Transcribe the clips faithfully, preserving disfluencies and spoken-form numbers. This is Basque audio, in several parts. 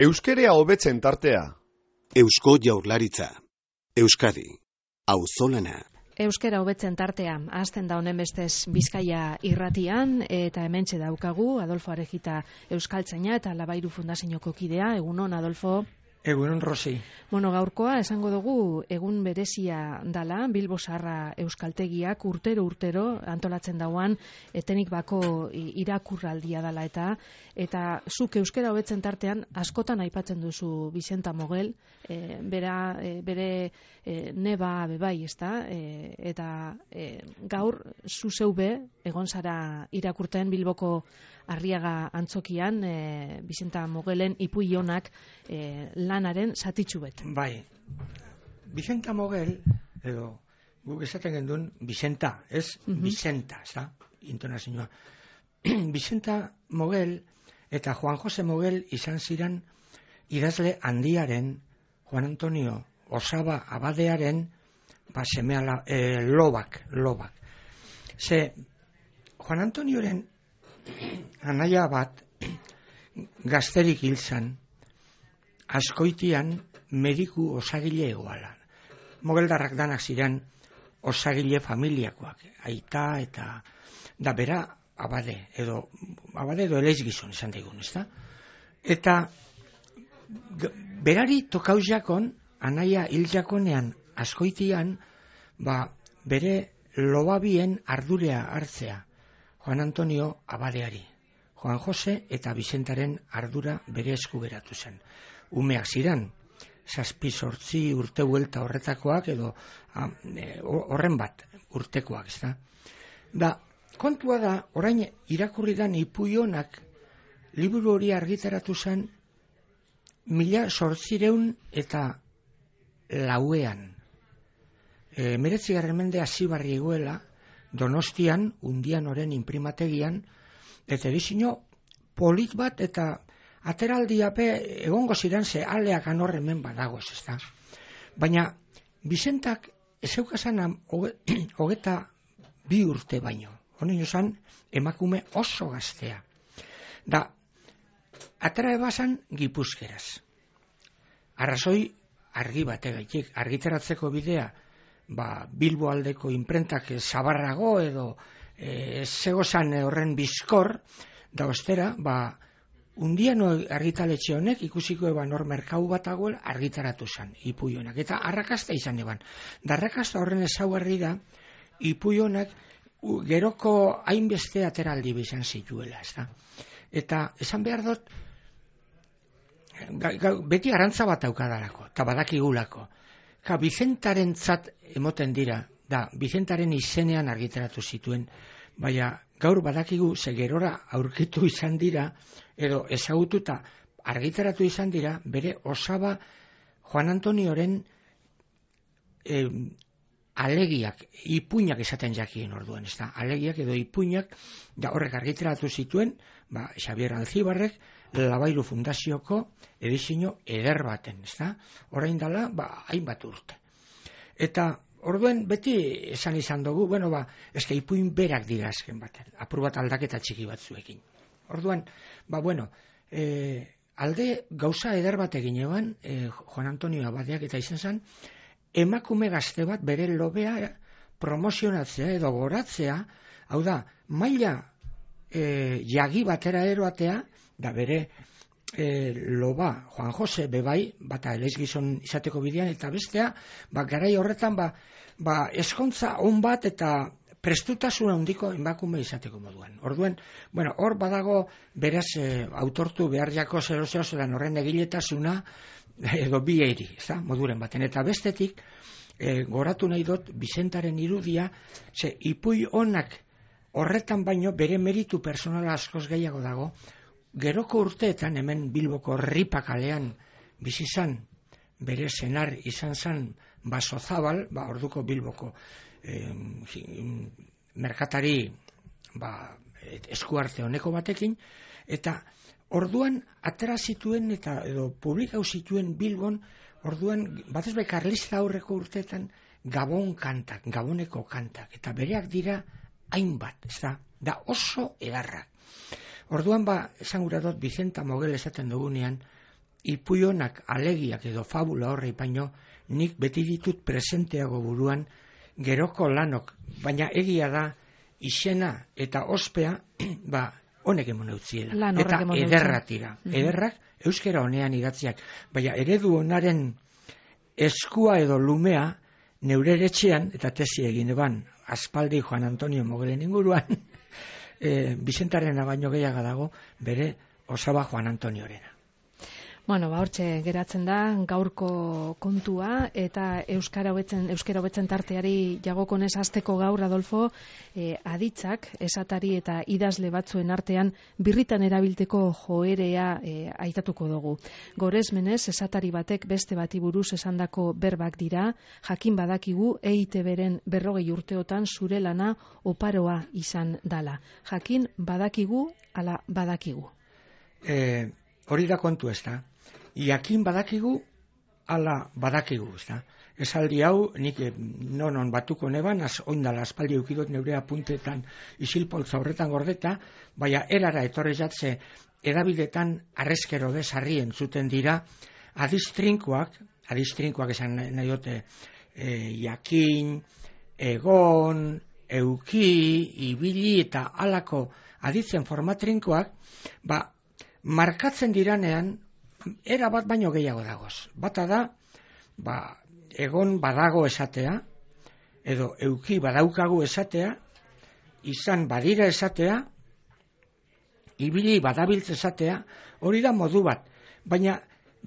Euskerea hobetzen tartea. Eusko Jaurlaritza. Euskadi. Auzolana. Euskera hobetzen tartea. Hasten da honen bestez Bizkaia irratian eta hementxe daukagu Adolfo Arejita euskaltzaina eta Labairu Fundazioko kidea. Egunon, Adolfo. Egunon, Rosi. Bueno, gaurkoa esango dugu egun berezia dala, Bilbo Zaharra euskaltegiak urtero urtero antolatzen dauan etenik bako irakurraldia dala eta eta zuk euskera hobetzen tartean askotan aipatzen duzu Bizenta Mogel, e, bera, e, bere e, neba bebai, ezta? E, eta e, gaur zu zeube egon zara irakurten Bilboko Arriaga antzokian, e, Bizenta Mogelen ipuionak e, lanaren zatitxu bet. Bai, Bizenta Mogel, edo guk esaten genduen Bizenta, ez mm-hmm. Bizenta, ez da, intonazioa. Bizenta Mogel eta Juan Jose Mogel izan ziren idazle handiaren, Juan Antonio Osaba abadearen, ba, semea e, lobak, lobak. Ze, Juan Antonioren anaia bat gazterik hilzan, askoitian mediku osagile egoalan. Mogeldarrak danak ziren osagile familiakoak, aita eta da bera abade, edo abade edo eleiz gizon esan daigun, ezta? Eta berari tokaujakon, anaia hiljakonean askoitian, ba, bere lobabien ardurea hartzea, Juan Antonio abadeari. Juan Jose eta Bizentaren ardura bere esku geratu zen. Umeak ziren, zazpi sortzi urte buelta horretakoak edo horren bat urtekoak, ez da. Da, kontua da, orain irakurri dan ipuionak liburu hori argitaratu zen mila sortzireun eta lauean. E, Meretzigarren mende hasibarri egoela, Donostian, Undian oren imprimategian, eta edizio polit bat eta ateraldiape egongo ziren ze aleak anorremen badago ez da. Baina Bizentak ezeukazan hogeta bi urte baino. Honen zan emakume oso gaztea. Da, atera ebazan Gipuzkeraz. Arrazoi argi bategaitik, argitaratzeko bidea, ba, Bilbo aldeko imprentak zabarrago edo e, zegozan horren bizkor, da ostera, ba, Undian argitaletxe honek ikusiko eban hor merkau bat aguel argitaratu zen, ipuionak. Eta arrakasta izan eban. Da arrakasta horren ezaugarri da, ipuionak geroko hainbeste ateraldi bizan zituela, ez da. Eta esan behar dut, ga, ga, beti arantza bat aukadalako, eta badakigulako. Ka, Bizentaren zat emoten dira, da, Bizentaren izenean argitaratu zituen, baina gaur badakigu zegerora aurkitu izan dira, edo ezagututa argitaratu izan dira, bere osaba Juan Antonioren eh, alegiak, ipuinak esaten jakien orduan, ez da, alegiak edo ipuinak, da horrek argitaratu zituen, ba, Xabier Alzibarrek, Labairu Fundazioko edizio eder baten, ez da? Orain dala, ba, hainbat urte. Eta, orduen, beti esan izan dugu, bueno, ba, eske ipuin berak dira azken baten, apur bat aldaketa txiki batzuekin. Orduan, ba, bueno, e, alde gauza eder bat egin eban, e, Juan Antonio abadeak eta izan zen, emakume gazte bat bere lobea promozionatzea edo goratzea, hau da, maila e, jagi batera eroatea, da bere e, loba, Juan Jose, bebai, bata eleiz gizon izateko bidean, eta bestea, ba, garai horretan, ba, ba, eskontza on bat eta prestutasuna handiko emakume izateko moduan. Orduen, bueno, hor badago beraz e, autortu behar jako zero-zero zelan horren egiletasuna edo bi eiri, ez da, moduren baten. Eta bestetik, e, goratu nahi dut, Bizentaren irudia, ze ipui onak horretan baino bere meritu personala askoz gehiago dago, geroko urteetan, hemen Bilboko Ripakalean bizizan, bere senar izan zan Basozabal, ba, orduko Bilboko eh, merkatari ba, eskuarte honeko batekin, eta orduan atera zituen eta edo publikau zituen Bilbon, orduan batez bai karlista aurreko urteetan Gabon kantak, Gaboneko kantak, eta bereak dira hainbat, ez da, da oso edarrak. Orduan ba, esan gura dut, Bizenta Mogel esaten dugunean, ipuionak, alegiak edo fabula horrei baino, nik beti ditut presenteago buruan geroko lanok, baina egia da izena eta ospea, ba, honek emon eutziela. Eta ederratira. Mm-hmm. Ederrak, euskera honean idatziak. Baina eredu honaren eskua edo lumea, neure etxean, eta tesi egin eban, aspaldi Juan Antonio Mogelen inguruan, e, Bizentaren baino gehiago dago, bere osaba Juan Antoniorena. Bueno, ba, hortxe geratzen da gaurko kontua eta euskara hobetzen euskara hobetzen tarteari jagokonez hasteko gaur Adolfo, eh, aditzak esatari eta idazle batzuen artean birritan erabilteko joerea eh, aitatuko dugu. Goresmenez esatari batek beste bati buruz esandako berbak dira, jakin badakigu E I Te Beren berrogei urteotan zure lana oparoa izan dala. Jakin badakigu ala badakigu. Eh, hori da kontu ez da. Jakin badakigu, ala badakigu, ez da. Esaldi hau, nik non on batuko neban, az oindala aspaldi eukidot neure apuntetan isilpoltza horretan gordeta, baina erara etorri jatze edabidetan arrezkero bezarri entzuten dira, adistrinkoak, adistrinkoak esan nahi dute, e, jakin, egon, euki, ibili eta alako aditzen formatrinkoak, ba, markatzen diranean, era bat baino gehiago dagoz. Bata da, ba, egon badago esatea, edo euki badaukagu esatea, izan badira esatea, ibili badabiltz esatea, hori da modu bat. Baina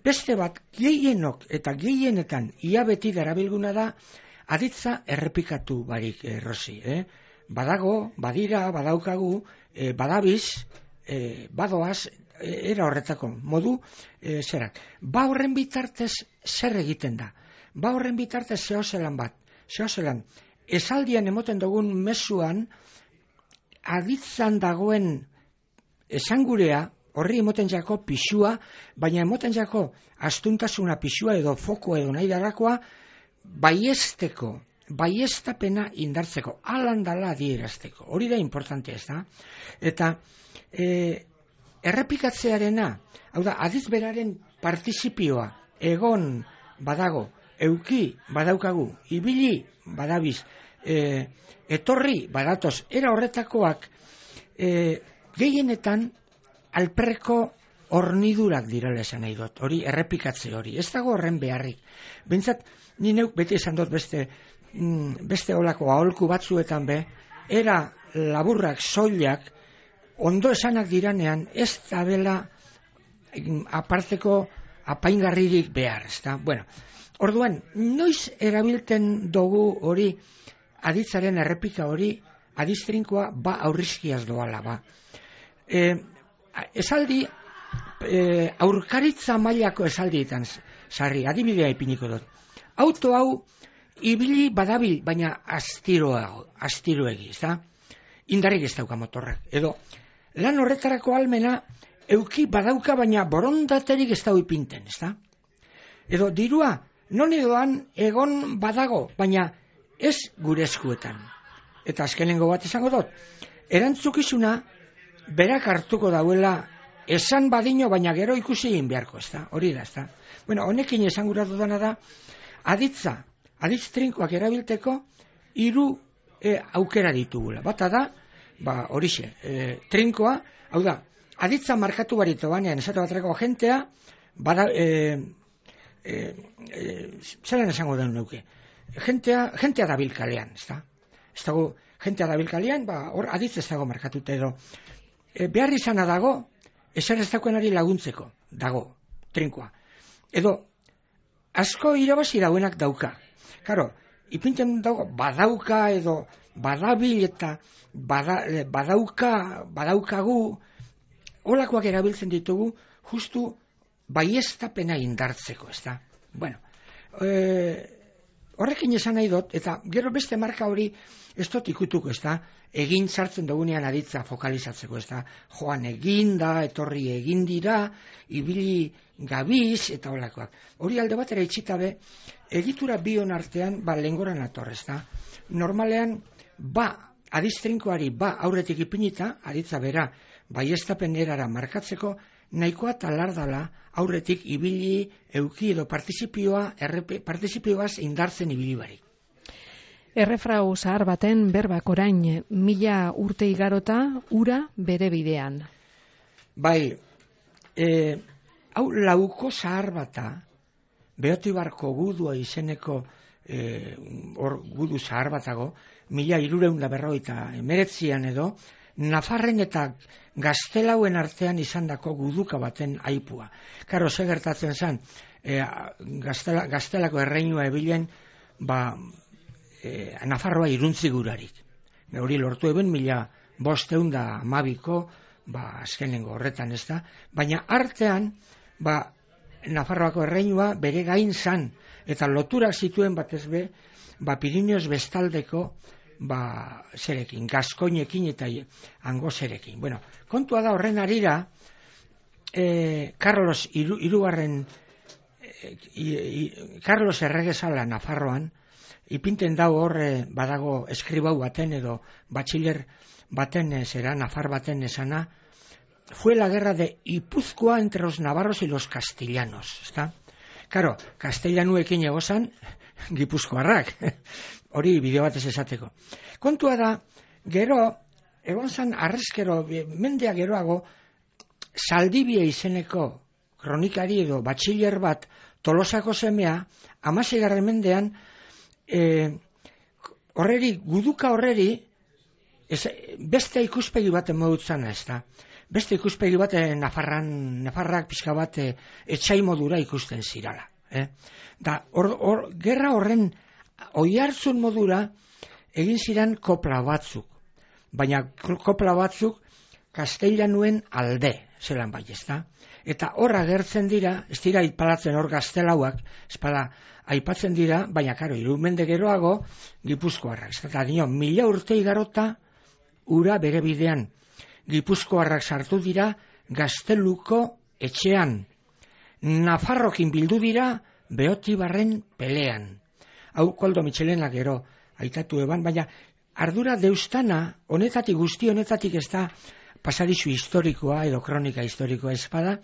beste bat gehienok eta gehienetan ia beti darabilguna da, aditza errepikatu barik errosi. Eh? Badago, badira, badaukagu, eh, badabiz, eh, badoaz, era horretako modu e, zerak. Ba horren bitartez zer egiten da. Ba horren bitartez zehozelan bat. Zehozelan, esaldian emoten dugun mezuan aditzan dagoen esangurea, horri emoten jako pixua, baina emoten jako astuntasuna pixua edo foko edo nahi darakoa baiesteko, baiestapena indartzeko, alandala adierazteko. Hori da importante ez da. Eta e, errepikatzearena, hau da, adiz beraren partizipioa, egon badago, euki badaukagu, ibili badabiz, e, etorri badatoz, era horretakoak e, gehienetan alperreko hornidurak direla esan nahi dut, hori errepikatze hori, ez dago horren beharrik. Bentsat, ni neuk beti esan dut beste, mm, beste olako aholku batzuetan be, era laburrak, soilak, ondo esanak diranean ez da bela aparteko apaingarririk behar, ezta? Bueno, orduan, noiz erabilten dugu hori aditzaren errepika hori adistrinkoa ba aurrizkiaz doala, ba. E, esaldi, e, aurkaritza mailako esaldietan sarri, adibidea ipiniko dut. Auto hau ibili badabil, baina astiroago, astiroegi, ezta? Indarrik ez dauka motorrak, edo lan horretarako almena euki badauka baina borondaterik ez dau ipinten, ezta? Edo dirua, non edoan egon badago, baina ez gure eskuetan. Eta azkenengo bat izango dut, erantzukizuna berak hartuko dauela esan badino baina gero ikusi egin beharko, ezta? Hori da, ezta? Bueno, honekin esan gura dudana da, aditza, aditz trinkoak erabilteko hiru e, aukera ditugula. Bata da, ba, horixe, e, trinkoa, hau da, aditza markatu barito banean, esatu batreko jentea, bada, e, e, e, zelan esango den nuke, jentea, jentea dabil kalean, ez da? Ez dago, jentea dabil kalean, ba, hor aditza ez dago markatuta edo, e, behar izana dago, esan ez dagoenari laguntzeko, dago, trinkoa. Edo, asko irabazi dauenak dauka. Karo, ipintzen dago, badauka edo, badabil eta bada, badauka, badaukagu, holakoak erabiltzen ditugu, justu baiestapena indartzeko, ez da? Bueno, e, horrekin esan nahi dut, eta gero beste marka hori ez dut ikutuko, ez da? Egin sartzen dugunean aditza fokalizatzeko, ez da? Joan eginda, etorri egin dira, ibili gabiz, eta holakoak. Hori alde batera itxitabe, egitura bion artean, ba, lengoran ator, ez da? Normalean, ba, adistrinkoari ba aurretik ipinita, aditza bera, baiestapen erara markatzeko, nahikoa talardala aurretik ibili euki edo partizipioa, errepe, partizipioaz indartzen ibili barik. Errefrau zahar baten berbak orain mila urte igarota ura bere bidean. Bai, e, hau lauko zahar bata, Beotibarko gudua izeneko e, or, gudu zahar batago, mila hirureun da berrogeita emeretzian edo, Nafarren eta Gaztelauen artean izandako guduka baten aipua. Karo, ze gertatzen zen, e, Gaztela, Gaztelako erreinua ebilen, ba, e, Nafarroa iruntzigurarik. Hori lortu eben mila bosteun da amabiko, ba, azkenengo horretan ez da, baina artean, ba, Nafarroako erreinua bere gain zan, eta loturak zituen batez be, ba, Pirineos bestaldeko, ba, zerekin, Gaskoinekin eta Angozerekin. Bueno, kontua da horren arira, eh, Carlos iru, irugarren, eh, i, i, Carlos erregezala Nafarroan, ipinten dau horre badago eskribau baten edo batxiler baten zera, Nafar baten esana, fue la guerra de Ipuzkoa entre los navarros y los castellanos, ¿está? Claro, castellanuekin egozan, gipuzkoarrak, hori bideo batez esateko. Kontua da, gero, egon zan arrezkero, mendea geroago, Zaldibia izeneko kronikari edo batxiler bat, Tolosako semea, hamaseigarren mendean, e, horreri, guduka horreri, ez, beste ikuspegi baten modutzana ez da. Beste ikuspegi bat Nafarran, Nafarrak pixka bat e, etxai modura ikusten zirala. Eh? Da, or, or, gerra horren oihartzun modura egin ziren kopla batzuk. Baina kopla batzuk Kastellanuen alde, zelan bai ez da. Eta horra gertzen dira, ez dira aipalatzen hor Gaztelauak, espada aipatzen dira, baina karo, irumende geroago Gipuzkoarrak. Eta dio, mila urte igarota ura bere bidean. Gipuzkoarrak sartu dira Gazteluko etxean. Nafarrokin bildu dira Beotibarren pelean. Hau Koldo Mitxelena gero aitatu eban, baina ardura deustana, honetatik guzti honetatik ez da pasadizu historikoa edo kronika historikoa espada,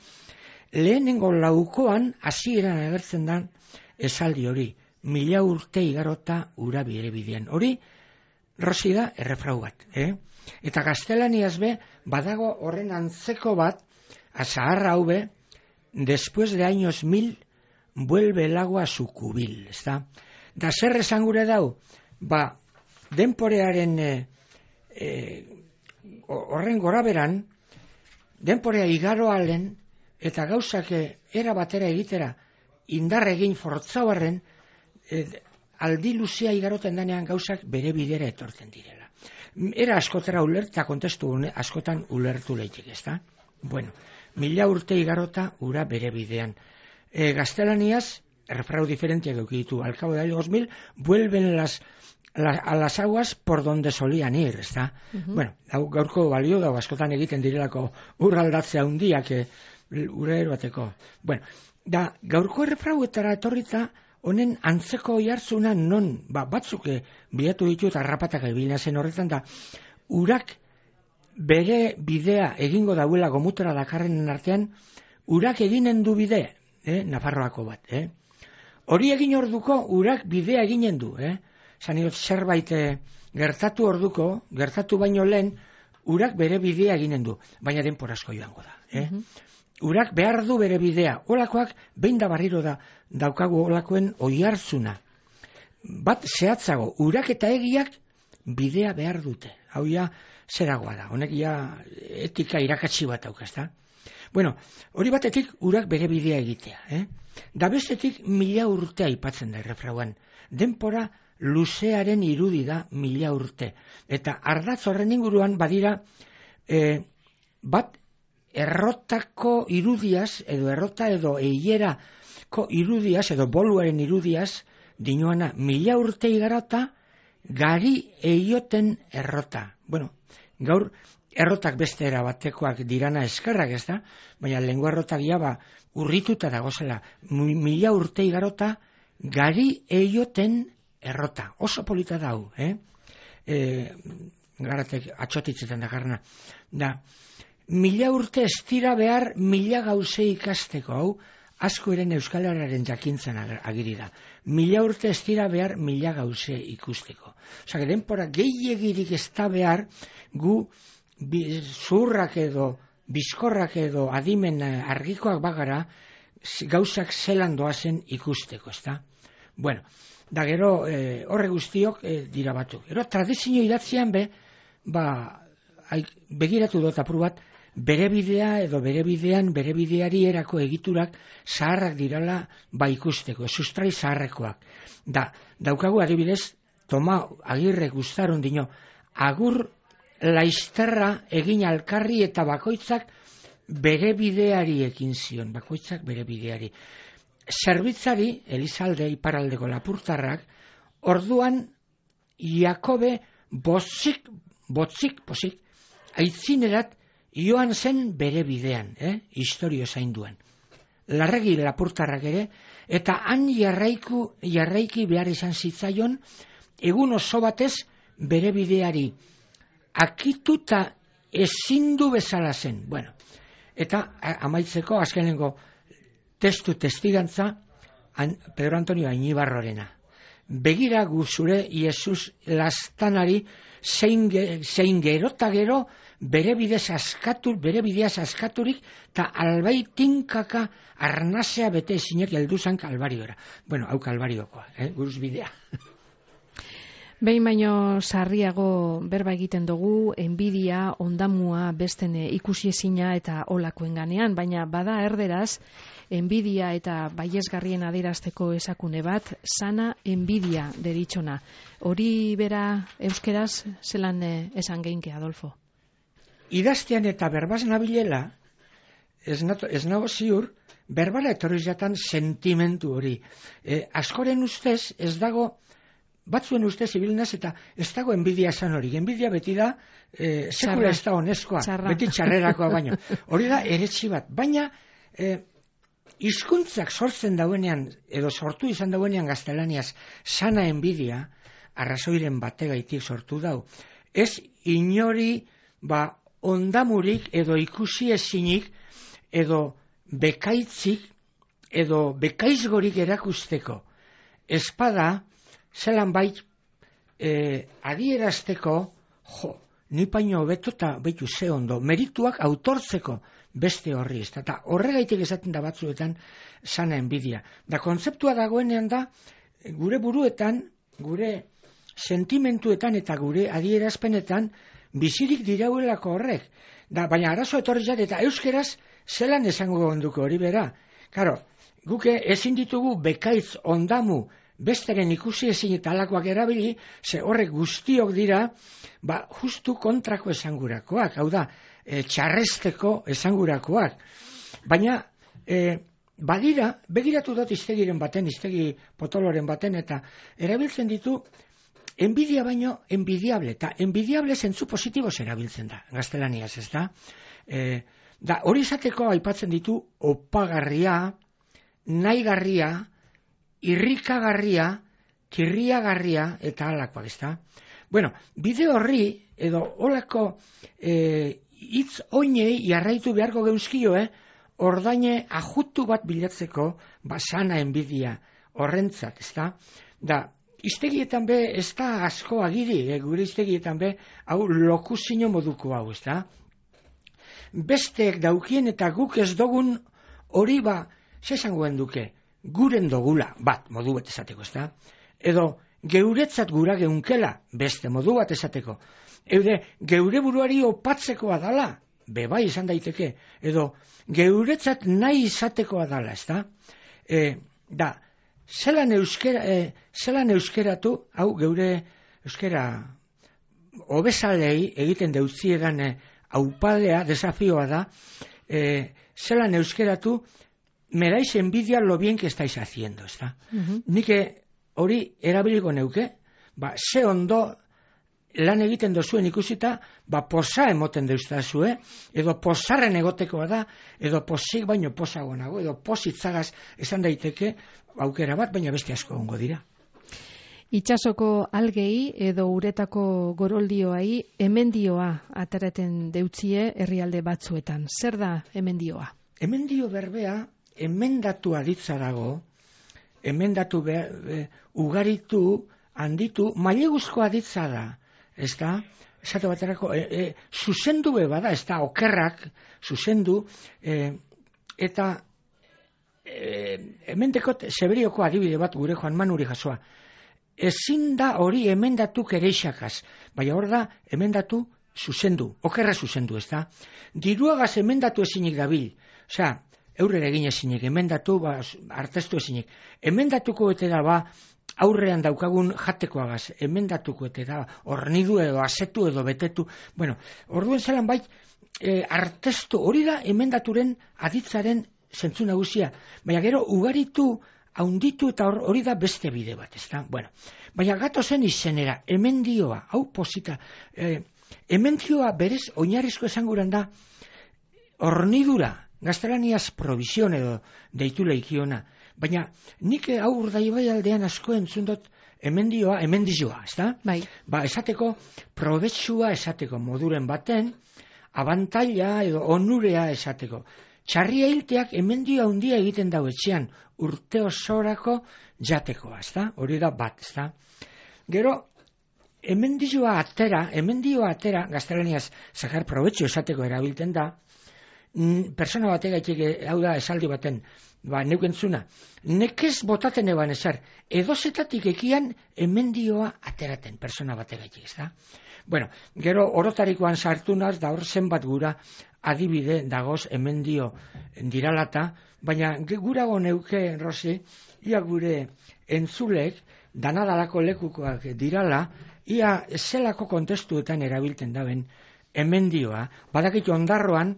lehenengo laukoan hasieran agertzen da esaldi hori, mila urte igarota ura bere bidean. Hori, Rosi da errefrau bat, eh? Eta gaztelaniaz be, badago horren antzeko bat, azaharra hau be, después de años mil, vuelve el agua a su cubil, ez da? Da zer esan gure dau, ba, denporearen e, e, horren goraberan, denporea igaroalen, eta gauzak era batera egitera, indar egin fortzauarren, e, aldi luzea igaroten danean gauzak bere bidera etortzen direla. Era askotera ulerta, kontestu askotan ulertu leitek, ez da? Bueno, mila urte igarota ura bere bidean. E, gaztelaniaz, errefrau diferentiak eukiditu, al cabo de años mil, vuelven las, la, a las aguas por donde solían ir, ez da? Uh-huh. Bueno, gaurko balio da, askotan egiten direlako urraldatzea hundiak, ura eroateko. Bueno, da, gaurko errefrauetara etorrita, honen antzeko oihartzuna non, ba, batzuk bilatu ditu eta rapatak ebilina zen horretan da, urak bere bidea egingo dauela gomutora dakarren artean, urak eginen du bide, eh, Nafarroako bat, eh? Hori egin orduko, urak bidea eginen du, eh? Zaniot zerbait eh, gertatu orduko, gertatu baino lehen, urak bere bidea eginen du, baina denporazko joango da, eh? Uh-huh. Urak behar du bere bidea, olakoak behin da barriro da daukagu olakoen oihartzuna. Bat zehatzago, urak eta egiak bidea behar dute. Hau ja, zeragoa da, honek ja etika irakatsi bat daukazta. Bueno, hori batetik urak bere bidea egitea. Eh? Da bestetik mila urte aipatzen da errefrauan. Denpora luzearen irudi da mila urte. Eta ardatz horren inguruan badira eh, bat errotako irudiaz, edo errota edo eilerako irudiaz, edo boluaren irudiaz, dinoana mila urte igarota, gari eioten errota. Bueno, gaur errotak beste era batekoak dirana eskerrak ez da, baina lengua errotak jaba urrituta dagozela, mila urte igarota, gari eioten errota. Oso polita dau, eh? E, garatek atxotitzetan dakarna. Da, mila urte ez dira behar mila gauze ikasteko, hau, asko eren euskalaren jakintzen agiri da. Mila urte ez dira behar mila gauze ikusteko. Osa, denpora gehiagirik ez da behar gu zurrak edo, bizkorrak edo adimen argikoak bagara gauzak zelan doazen ikusteko, ez da? Bueno, da gero eh, horre guztiok eh, dira batzuk. Gero tradizio idatzian be, ba, ai, begiratu dut apur bat, bere bidea edo bere bidean, bere bideari erako egiturak zaharrak dirala ba ikusteko, sustrai zaharrekoak. Da, daukagu adibidez, Toma Agirre Gustaron dino, agur laizterra egin alkarri eta bakoitzak bere bideari ekin zion, bakoitzak bere bideari. Zerbitzari, Elizalde iparaldeko lapurtarrak, orduan Jakobe botzik, botzik, posik, aitzinerat joan zen bere bidean, eh? Historio zainduan. Larregi lapurtarrak ere, eta han jarraiku, jarraiki behar izan zitzaion, egun oso batez bere bideari akituta ezindu bezala zen. Bueno, eta amaitzeko azkenengo testu testigantza Pedro Antonio Añibarrorena. Begira gu zure Jesus lastanari zein, zein gero eta gero bere bidez askatu, bere bideaz askaturik eta albai tinkaka arnazea bete ezinek helduzan kalbariora. Bueno, hau kalbariokoa, eh? Guruz bidea. Behin baino sarriago berba egiten dugu, enbidia, ondamua, besten ikusi ezina eta olakoen ganean, baina bada erderaz, enbidia eta baiesgarrien adierazteko esakune bat, sana enbidia deritxona. Hori bera euskeraz zelan esan geinke, Adolfo? Idaztean eta berbaz nabilela, ez, nato, ez nago ziur, berbala etorri jatan sentimentu hori. E, askoren ustez, ez dago, batzuen ustez ibilnaz eta ez dago enbidia esan hori. Enbidia beti da, e, sekula ez da honezkoa, beti txarrerakoa baino. Hori da eretsi bat, baina e, hizkuntzak sortzen dauenean, edo sortu izan dauenean gaztelaniaz, sana enbidia, arrazoiren bategaitik sortu dau. Ez inori, ba, ondamurik edo ikusi ezinik edo bekaitzik edo bekaizgorik erakusteko espada zelan bait e, adierazteko jo, ni paino beto eta betu ze ondo merituak autortzeko beste horri ez eta horregaitik esaten da batzuetan sana enbidia da kontzeptua dagoenean da gure buruetan gure sentimentuetan eta gure adierazpenetan bizirik dirauelako horrek. Da, baina arazo etorri jat eta euskeraz zelan esango onduko hori bera. Karo, guke ezin ditugu bekaitz ondamu besteren ikusi ezin eta alakoak erabili, ze horrek guztiok dira, ba, justu kontrako esangurakoak. Hau da, e, txarresteko esangurakoak. Baina, e, badira, begiratu dut iztegiren baten, iztegi potoloren baten, eta erabiltzen ditu, enbidia baino, enbidiable, eta enbidiable zentzu positiboz erabiltzen da, gaztelaniaz, ez da? E, da, hori izateko aipatzen ditu opagarria, nahigarria, irrikagarria, kirriagarria, eta halakoak, ez da? Bueno, bide horri, edo holako e, hitz oinei jarraitu beharko geuzkio, eh? Ordaine ajutu bat bilatzeko, basana enbidia horrentzat, ez da? Da, iztegietan be, ez da asko agiri, eh, gure iztegietan be, hau lokuzino moduko hau, ez da? Besteek daukien eta guk ez dogun hori ba, zesangoen duke, guren dogula, bat, modu bat esateko, ez da? Edo, geuretzat gura geunkela, beste modu bat esateko. Eude, geure buruari opatzekoa dala, beba izan daiteke, edo, geuretzat nahi izatekoa dala, ez da? E, da, Zelan, euskera, eh, zelan euskeratu, hau geure euskera obezalei egiten deutziedan eh, aupadea, desafioa da, eh, zelan euskeratu, me dais envidia lo bien que estáis haciendo, ez da? Uh-huh. Nik hori erabiliko neuke, ba, ze ondo lan egiten dozuen ikusita, ba, posa emoten deustazue, edo posarren egotekoa da, edo posik baino posago nago, edo positzagaz esan daiteke, aukera bat, baina beste asko ongo dira. Itsasoko algei edo uretako goroldioai emendioa ateraten deutzie herrialde batzuetan. Zer da emendioa? Emendio berbea emendatu aditza dago, emendatu be, be, ugaritu, handitu, maileguzko aditza da, ez da? Esate baterako, e, e, zuzendu be bada, ez da, okerrak, zuzendu, e, eta e, emendekot Seberioko adibide bat gure Joan Manuri jasoa. Ezin da hori emendatu kereixakaz, baina hor da emendatu zuzendu, okerra zuzendu, ez da? Diruagaz emendatu ezinik dabil, osea, eurrera egin ezinik, emendatu, ba, artestu ezinik. Emendatuko ete da, ba, aurrean daukagun jatekoagaz, emendatuko ete da, hornidu edo asetu edo betetu. Bueno, orduen zelan bait, e, artestu hori da emendaturen aditzaren zentzu nagusia. Baina gero, ugaritu, haunditu eta hori da beste bide bat, ez da? Bueno, baina gatozen izenera, emendioa, hau posita, e, emendioa berez, oinarrizko esanguran da, hornidura, gaztelaniaz provisión edo deitu leikiona, baina nik hau urdaibai aldean asko entzun dut emendioa, emendizioa, ez da? Bai. Ba, esateko, probetsua esateko moduren baten, abantaila edo onurea esateko. Txarria hilteak emendioa handia egiten dau etxean, urte osorako jatekoa, ez da? Hori da bat, ez da? Gero, emendizioa atera, emendioa atera, gaztelaniaz zakar probetxu esateko erabiltzen da, persona bategaitik, hau da esaldi baten, ba, neukentzuna, nekez botaten eban ezer, edozetatik ekian emendioa ateraten, persona bategaitik, ez da? Bueno, gero orotarikoan sartu naz, da hor zenbat gura adibide dagoz emendio diralata, baina gurago neuke, Rosi, ia gure entzulek, danadalako lekukoak dirala, ia zelako kontestuetan erabiltzen daben emendioa, badakitu ondarroan,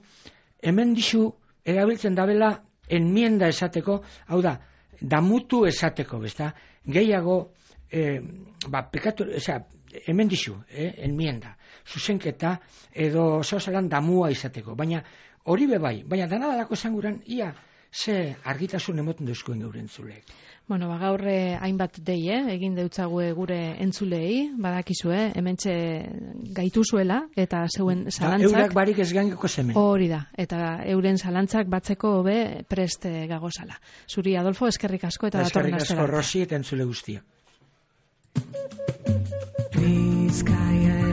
emendizu erabiltzen dabela enmienda esateko, hau da, damutu esateko, besta, gehiago, eh, ba, pekatu, eza, emendizu, eh, enmienda, zuzenketa, edo zozalan damua izateko, baina hori bebai, baina danadalako esanguran, ia, ze argitasun emoten duzkoen gure entzulek. Bueno, ba, gaur hainbat dei, eh? egin deutzague gure entzulei, badakizue, hementxe gaituzuela, eta zeuen zalantzak... Eurak barik ez gaingeko zemen. Hori da, eta euren zalantzak batzeko be prest gagozala. Zuri, Adolfo, eskerrik asko eta datorren astera. Eskerrik asko, Rosi, eta entzule guztia. Bizkaia